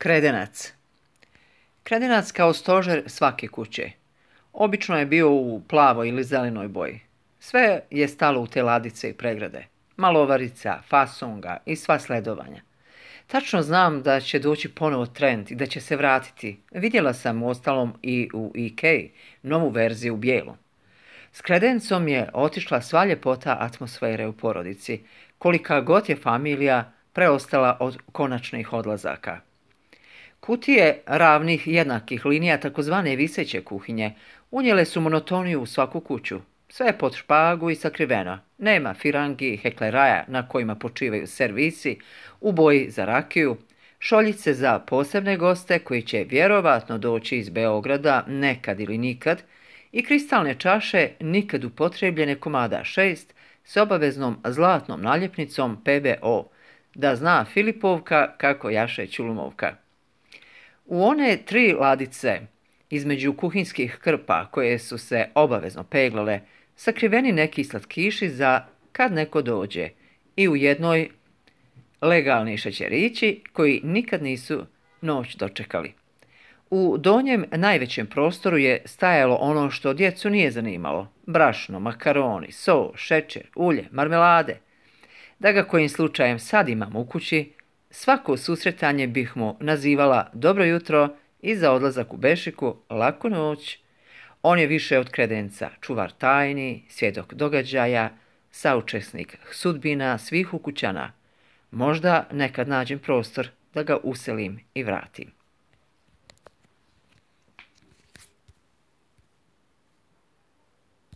Kredenac. Kredenac kao stožer svake kuće. Obično je bio u plavoj ili zelenoj boji. Sve je stalo u te ladice i pregrade. Malovarica, fasunga i sva sledovanja. Tačno znam da će doći ponovo trend i da će se vratiti. Vidjela sam uostalom i u Ikei novu verziju u bijelu. S kredencom je otišla sva ljepota atmosfere u porodici, kolika god je familija preostala od konačnih odlazaka. Kutije ravnih jednakih linija, takozvane viseće kuhinje, unijele su monotoniju u svaku kuću. Sve je pod špagu i sakriveno. Nema firangi i hekleraja na kojima počivaju servisi, u boji za rakiju, šoljice za posebne goste koji će vjerovatno doći iz Beograda nekad ili nikad i kristalne čaše nikad upotrebljene komada 6 s obaveznom zlatnom naljepnicom PBO, da zna Filipovka kako jaše Ćulumovka. U one 3 ladice između kuhinskih krpa koje su se obavezno peglale, sakriveni neki slatkiši za kad neko dođe i u jednoj legalni šećerići koji nikad nisu noć dočekali. U donjem najvećem prostoru je stajalo ono što djecu nije zanimalo: brašno, makaroni, so, šećer, ulje, marmelade. Da ga kojim slučajem sad imam u kući, svako susretanje bih mu nazivala dobro jutro i za odlazak u bešiku laku noć. On je više od kredenca, čuvar tajni, svjedok događaja, saučesnik sudbina svih ukućana. Možda nekad nađem prostor da ga uselim i vratim.